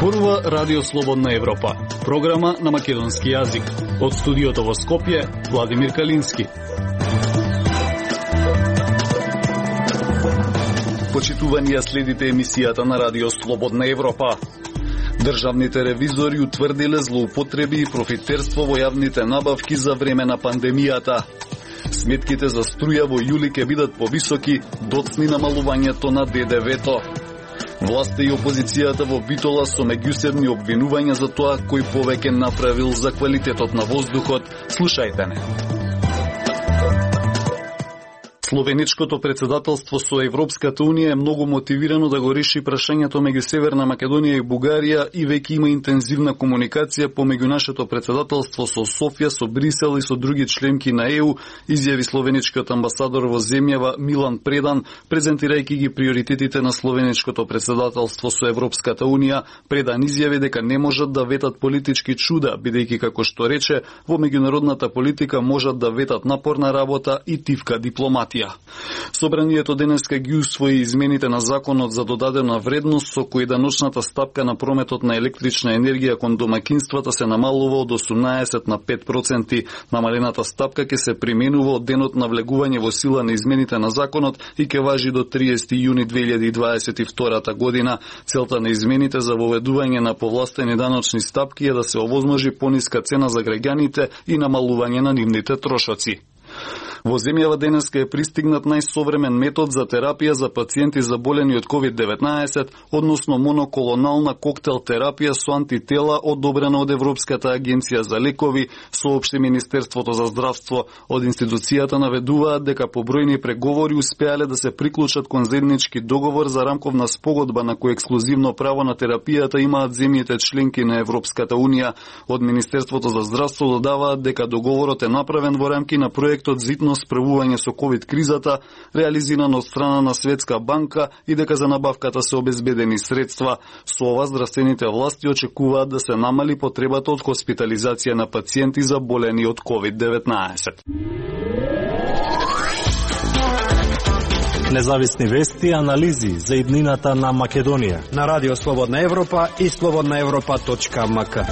Зборува Радио Слободна Европа, програма на македонски јазик. Од студиото во Скопје, Владимир Калински. Почитувани, ја следите емисијата на Радио Слободна Европа. Државните ревизори утврдиле злоупотреби и профитерство во јавните набавки за време на пандемијата. Сметките за струја во јули ќе бидат повисоки, доцни намалувањето на ДДВ-то. Власта и опозицијата во Битола со меѓусебни обвинувања за тоа кој повеќе направил за квалитетот на воздухот. Слушајте не. Словеничкото председателство со Европската Унија е многу мотивирано да го реши прашањето меѓу Северна Македонија и Бугарија и веќе има интензивна комуникација помеѓу нашето председателство со Софија, со Брисел и со други членки на ЕУ, изјави словеничкиот амбасадор во земјава Милан Предан, презентирајќи ги приоритетите на словеничкото председателство со Европската Унија. Предан изјави дека не можат да ветат политички чуда, бидејќи како што рече, во меѓународната политика можат да ветат напорна работа и тивка дипломатија. Собранието денеска ги усвои измените на законот за додадена вредност со кој даночната стапка на прометот на електрична енергија кон домакинствата се намалува од 18 на 5%. Намалената стапка ќе се применува од денот на влегување во сила на измените на законот и ќе важи до 30 јуни 2022 година. Целта на измените за воведување на повластени даночни стапки е да се овозможи пониска цена за граѓаните и намалување на нивните трошоци. Во земјава денеска е пристигнат најсовремен метод за терапија за пациенти заболени од COVID-19, односно моноклонална коктел терапија со антитела одобрена од Европската агенција за лекови, соопшти Министерството за здравство. Од институцијата наведуваат дека побројни преговори успеале да се приклучат кон заеднички договор за рамковна спогодба на кој ексклузивно право на терапијата имаат земјите членки на Европската Унија. Од Министерството за здравство додаваат дека договорот е направен во рамки на проектот за справување со ковид кризата, реализиран од страна на Светска банка и дека за набавката се обезбедени средства. Со ова здравствените власти очекуваат да се намали потребата од хоспитализација на пациенти заболени од COVID-19. Независни вести и анализи за иднината на Македонија на Радио Слободна Европа и slobodnaevropa.mk.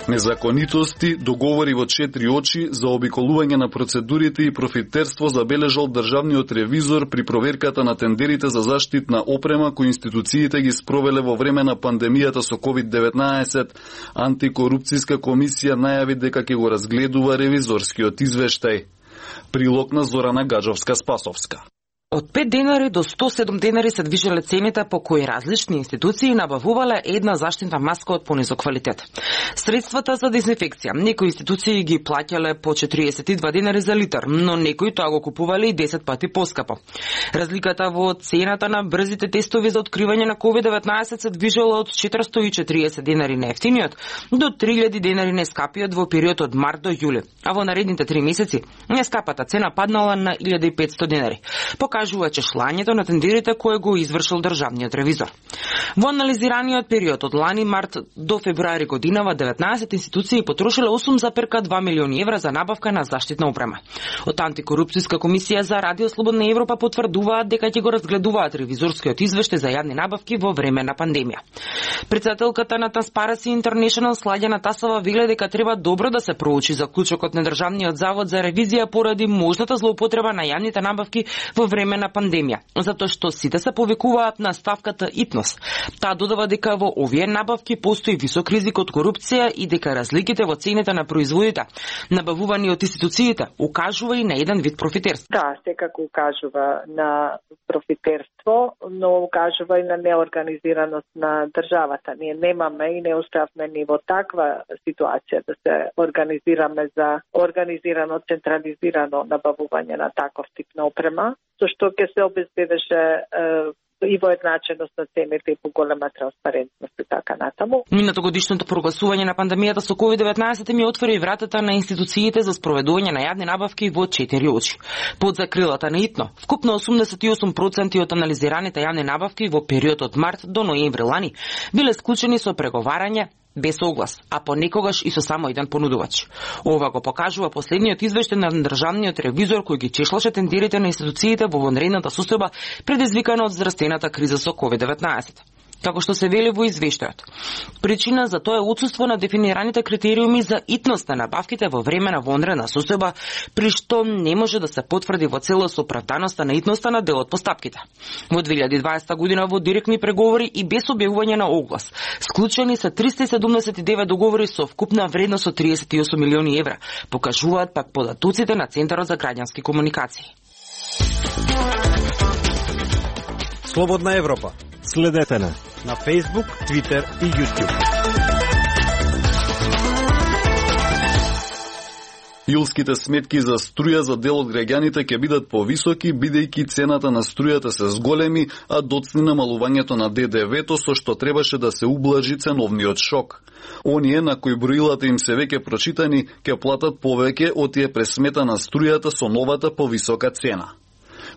Незаконитости, договори во 4 очи за обиколување на процедурите и профитерство забележал државниот ревизор при проверката на тендерите за заштитна опрема кои институциите ги спровеле во време на пандемијата со COVID-19. Антикорупцијска комисија најави дека ќе го разгледува ревизорскиот извештај. Прилог на Зорана Гаджовска-Спасовска. Од 5 денари до 107 денари се движеле цените по кои различни институции набавувале една заштитна маска од понизок квалитет. Средствата за дезинфекција, некои институции ги плаќале по 42 денари за литар, но некои тоа го купувале и 10 пати поскапо. Разликата во цената на брзите тестови за откривање на COVID-19 се движела од 440 денари на ефтиниот до 3000 денари нескапиот во период од март до јули, а во наредните 3 месеци нескапата цена паднала на 1500 денари. Покажува чешлањето на тендерите кое го извршил државниот ревизор. Во анализираниот период од лани март до февруари годинава 19 институции потрошиле 8,2 милиони евра за набавка на заштитна опрема. Од Антикорупцијска комисија за Радио Слободна Европа потврдуваат дека ќе го разгледуваат ревизорскиот извештај за јавни набавки во време на пандемија. Председателката на Transparency International Сладјана Тасова вели дека треба добро да се проучи заклучокот на Државниот завод за ревизија поради можната злоупотреба на јавните набавки во време на пандемија, затоа што сите се повикуваат на ставката ИТНОС. Таа додава дека во овие набавки постои висок ризик од корупција и дека разликите во цените на производите, набавувани од институциите, укажува и на еден вид профитерство. Да, секако укажува на профитерство, но укажува и на неорганизираност на државата. Ние немаме и не успеавме ни во таква ситуација да се организираме за организирано, централизирано набавување на таков тип на опрема, со што ќе се обезбедеше и воедначеност на цените и поголема транспарентност и така натаму. Минатогодишното прогласување на пандемијата со COVID-19 ми отвори вратата на институциите за спроведување на јавни набавки во 4 очи. Под закрилата на ИТНО, вкупно 88% од анализираните јавни набавки во период од март до ноември лани биле склучени со преговарање без оглас, а понекогаш и со само еден понудувач. Ова го покажува последниот извештај на државниот ревизор кој ги чешлаше тендерите на институциите во вонредната состојба предизвикана од здравствената криза со COVID-19. Како што се вели во извештајот. Причина за тоа е отсуство на дефинираните критериуми за итност на набавките во време на вонредна состојба, при што не може да се потврди во целост оправданоста на итноста на дел од постапките. Во 2020 година во директни преговори и без објавување на оглас, склучени се 379 договори со вкупна вредност од 38 милиони евра, покажуваат пак податоците на Центарот за граѓански комуникации. Слободна Европа. Следете на Facebook, Twitter и YouTube. Јулските сметки за струја за дел од граѓаните ќе бидат повисоки, бидејќи цената на струјата се зголеми, а доцни намалувањето на ДДВ-то со што требаше да се ублажи ценовниот шок. Оние на кои броилата им се веќе прочитани, ќе платат повеќе од тие пресмета на струјата со новата повисока цена.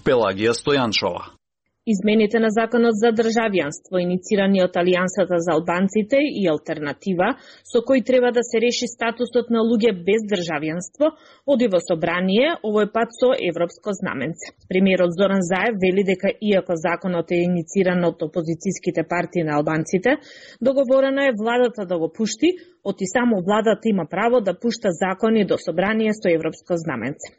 Пелагија Стојанчова. Измените на Законот за државјанство, иницирани од Алијансата за албанците и Алтернатива, со кој треба да се реши статусот на луѓе без државјанство, оди во собрание, овој пат со европско знаменце. Премиерот Зоран Заев вели дека иако законот е инициран од опозицијските партии на албанците, договорено е владата да го пушти, оти само владата има право да пушта закони до собрание со европско знаменце.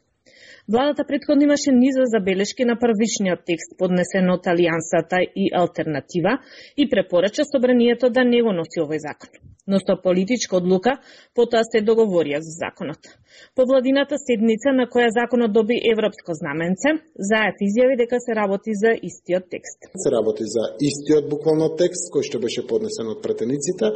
Владата претходно имаше низа забелешки на првичниот текст поднесен од Алијансата и Алтернатива и препорача собранието да не го носи овој закон. Но со политичка одлука потоа се договорија за законот. По владината седница на која законот доби европско знаменце, Заев изјави дека се работи за истиот текст. Се работи за истиот буквално текст кој што беше поднесен од претениците,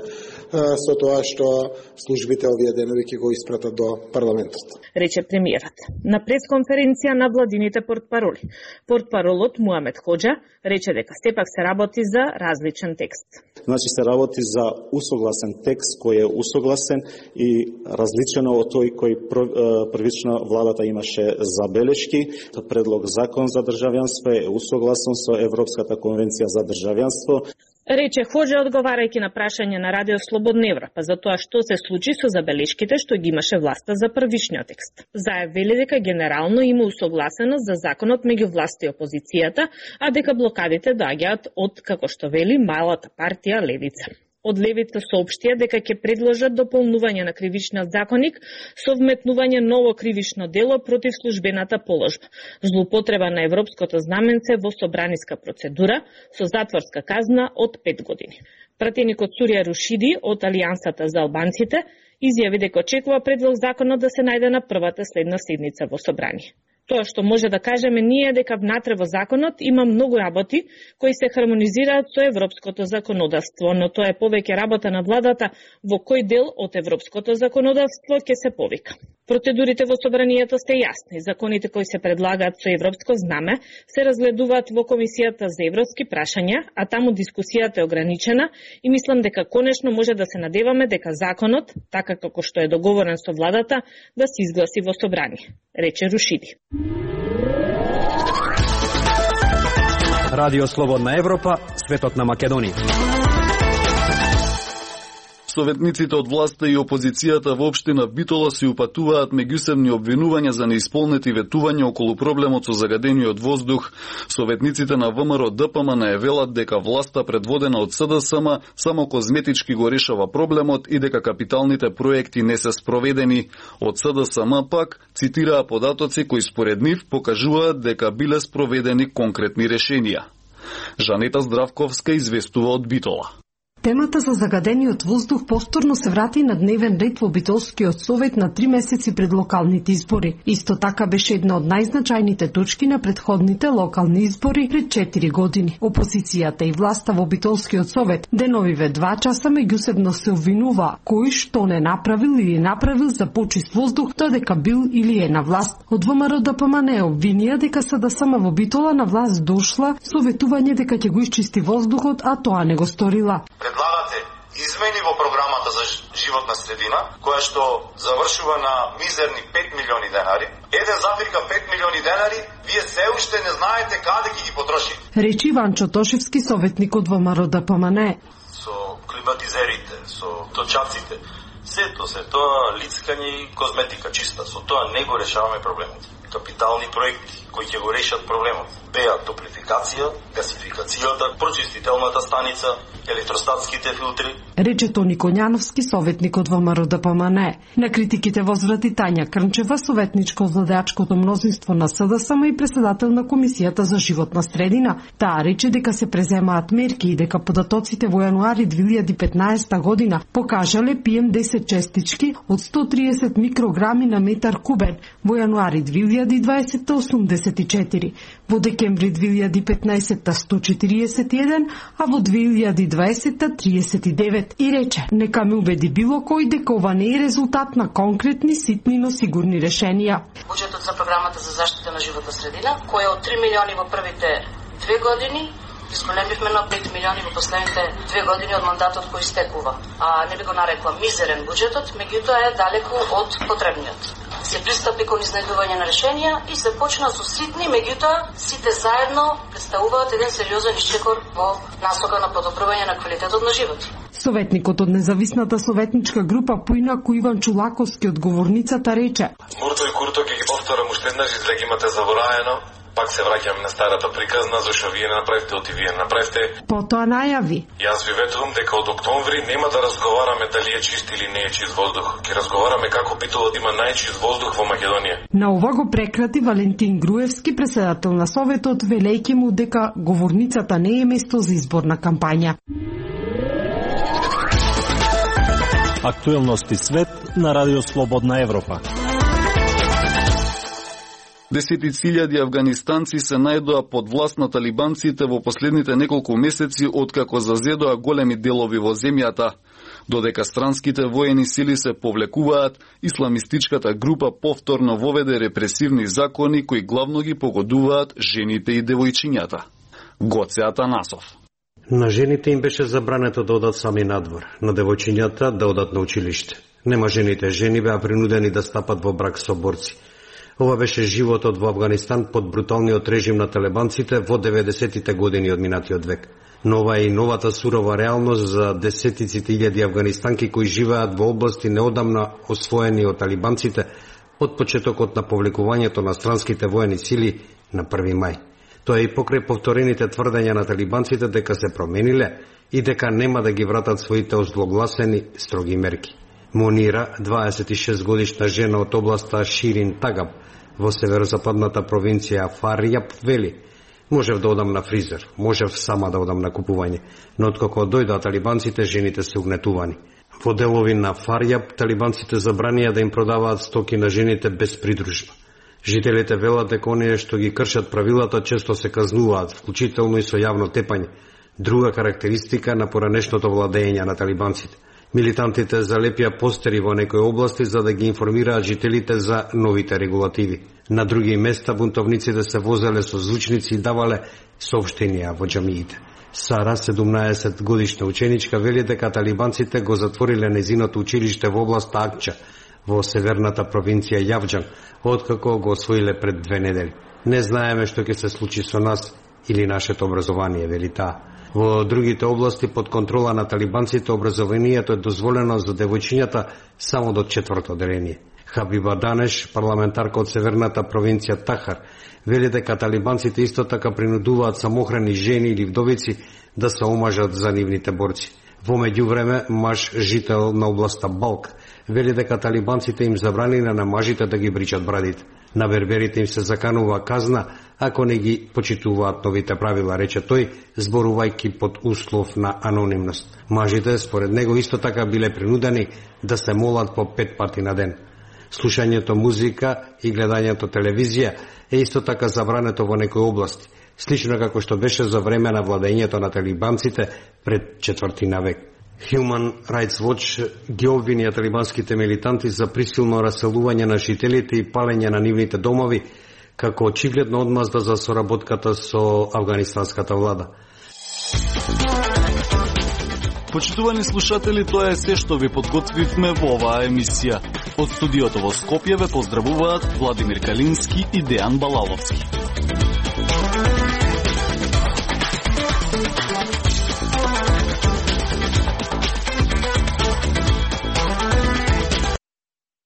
со тоа што службите овие денови ќе го испратат до парламентот. Рече премиерот. На пресконференција на владините портпароли. Портпаролот Муамед Хоџа рече дека сепак се работи за различен текст. Значи се работи за усогласен текст кој е усогласен и различен од тој кој првично владата имаше забелешки. Предлог закон за државјанство е усогласен со Европската конвенција за државјанство. Рече Хоџа одговарајќи на прашање на Радио Слободна Европа за тоа што се случи со забелешките што ги имаше власта за првичниот текст. Заев вели дека генерално има усогласеност за законот меѓу власта и опозицијата, а дека блокадите доаѓаат од, како што вели, малата партија Левица. Од Левица соопштија дека ќе предложат дополнување на кривичниот законник со вметнување ново кривично дело против службената положба, злоупотреба на европското знаменце во собраниска процедура со затворска казна од 5 години. Пратеникот Сурија Рушиди од Алијансата за албанците изјави дека очекува предлог законот да се најде на првата следна седница во собрание. Тоа што може да кажеме ние дека внатре во законот има многу работи кои се хармонизираат со европското законодавство, но тоа е повеќе работа на владата во кој дел од европското законодавство ќе се повика. Процедурите во собранието се јасни. Законите кои се предлагаат со европско знаме се разгледуваат во Комисијата за европски прашања, а таму дискусијата е ограничена и мислам дека конечно може да се надеваме дека законот, така како што е договорен со владата, да се изгласи во собрание, рече Рушиди. Радио Слободна Европа, светот на Македонија. Советниците од власта и опозицијата во општина Битола си упатуваат меѓусебни обвинувања за неисполнети ветувања околу проблемот со загадениот воздух. Советниците на ВМРО ДПМН велат дека власта предводена од СДСМ само козметички го решава проблемот и дека капиталните проекти не се спроведени. Од СДСМ пак цитираа податоци кои според нив покажуваат дека биле спроведени конкретни решенија. Жанета Здравковска известува од Битола. Темата за загадениот воздух повторно се врати на дневен ред во Битолскиот совет на 3 месеци пред локалните избори. Исто така беше една од најзначајните точки на претходните локални избори пред 4 години. Опозицијата и власта во Битолскиот совет деновиве 2 часа меѓусебно се обвинува кој што не направил или направил за почист воздух, додека бил или е на власт. Од ВМРО ДПМН обвинија дека СДСМ во Битола на власт дошла со ветување дека ќе го исчисти воздухот, а тоа не го сторила. Предлагате измени во програмата за животна средина, која што завршува на мизерни 5 милиони денари. 1,5 милиони денари, вие се уште не знаете каде ќе ги потрошите. Речи Ванчо Тошевски, советник од ВМРО ДПМН. со климатизерите, со точаците. Сето се тоа лицкање и козметика чиста. Со тоа не го решаваме проблемот. Капитални проекти кои ќе го решат проблемот беа топлификација, гасификацијата, прочистителната станица, електростатските филтри. Рече Тони Коњановски, советник од ВМРО-ДПМНЕ. На критиките возврати Тања Крнчева, советничка од владеачкото мнозинство на СДСМ и председател на Комисијата за животна средина. Таа рече дека се преземаат мерки и дека податоците во јануари 2015 година покажале PM10 честички од 130 микрограми на метар кубен, во јануари 2020 84, во декември 2015 141, а во 2020 39. И рече, нека ме убеди било кој дека ова не е резултат на конкретни, ситни, но сигурни решенија. Буџетот за програмата за заштита на животна средина, кој е од 3 милиони во првите 2 години, изголемивме на 5 милиони во последните 2 години од мандатот кој истекува. А не би го нарекла мизерен буџетот, меѓутоа е далеку од потребниот. Се пристапи кон изнајдување на решенија и се почна со ситни, меѓутоа сите заедно представуваат еден сериозен ишчекор во насока на подобрување на квалитетот на живот. Советникот од независната советничка група поинаку Иван Чулаковски од говорницата рече: Мурто и Курто ќе ги повторам уште еднаш, за да ги имате забораено. Пак се враќам на старата приказна, зашто вие направите, оти вие направите. Потоа најави: Јас ви ветувам дека од октомври нема да разговараме дали е чист или не е чист воздух. Ќе разговараме како битува да има најчист воздух во Македонија. На ова го прекрати Валентин Груевски, председател на Советот, велејќи му дека говорницата не е место за изборна кампања. Актуелности свет на Радио Слободна Европа. Десетицилјади афганистанци се најдоа под власт на талибанците во последните неколку месеци откако зазедоа големи делови во земјата. Додека странските воени сили се повлекуваат, исламистичката група повторно воведе репресивни закони кои главно ги погодуваат жените и девојчињата. Гоце Атанасов. На жените им беше забрането да одат сами надвор, на девојчињата да одат на училиште. Нема жени беа принудени да стапат во брак со борци. Ова беше животот во Авганистан под бруталниот режим на талибанците во 90-тите години од минатиот век. Но ова е и новата сурова реалност за десетиците илјади афганистанки кои живеат во области неодамна освоени од талибанците од почетокот на повлекувањето на странските воени сили на 1 мај. Тоа е и покрај повторените тврдења на талибанците дека се промениле и дека нема да ги вратат своите озлогласени строги мерки. Монира, 26 годишна жена од областа Ширин Тагаб, во северозападната провинција Фарјаб, вели: Можев да одам на фризер, можев сама да одам на купување, но откако дојдоа талибанците, жените се угнетувани. Во делови на Фарјаб, талибанците забранија да им продаваат стоки на жените без придружба. Жителите велат дека оние што ги кршат правилата често се казнуваат, вклучително и со јавно тепање, друга карактеристика на поранешното владење на талибанците. Милитантите залепија постери во некои области за да ги информираат жителите за новите регулативи. На други места бунтовниците се возеле со звучници и давале соопштенија во џамиите. Сара, 17 годишна ученичка, вели дека талибанците го затвориле незиното училиште во област Акча, во северната провинција Јавџан, откако го освоиле пред 2 недели. Не знаеме што ќе се случи со нас или нашето образование, вели таа. Во другите области под контрола на талибанците образованието е дозволено за девојчињата само до 4-то деление. Хабиба Данеш, парламентарка од северната провинција Тахар, вели дека талибанците исто така принудуваат самохрани жени или вдовици да се омажат за нивните борци. Во меѓувреме, маж жител на областа Балк вели дека талибанците им забраниле на мажите да ги бричат брадите. На берберите им се заканува казна ако не ги почитуваат новите правила, рече тој, зборувајќи под услов на анонимност. Мажите, според него, исто така биле принудени да се молат по 5 пати на ден. Слушањето музика и гледањето телевизија е исто така забрането во некои области, слично како што беше за време на владењето на талибанците пред 4 век. Human Rights Watch ги обвини талибанските милитанти за присилно раселување на жителите и палење на нивните домови, како очигледно одмазда за соработката со афганистанската влада. Почитувани слушатели, тоа е се што ви подготвивме во оваа емисија. Од студиото во Скопје ве поздравуваат Владимир Калински и Дејан Балаловски.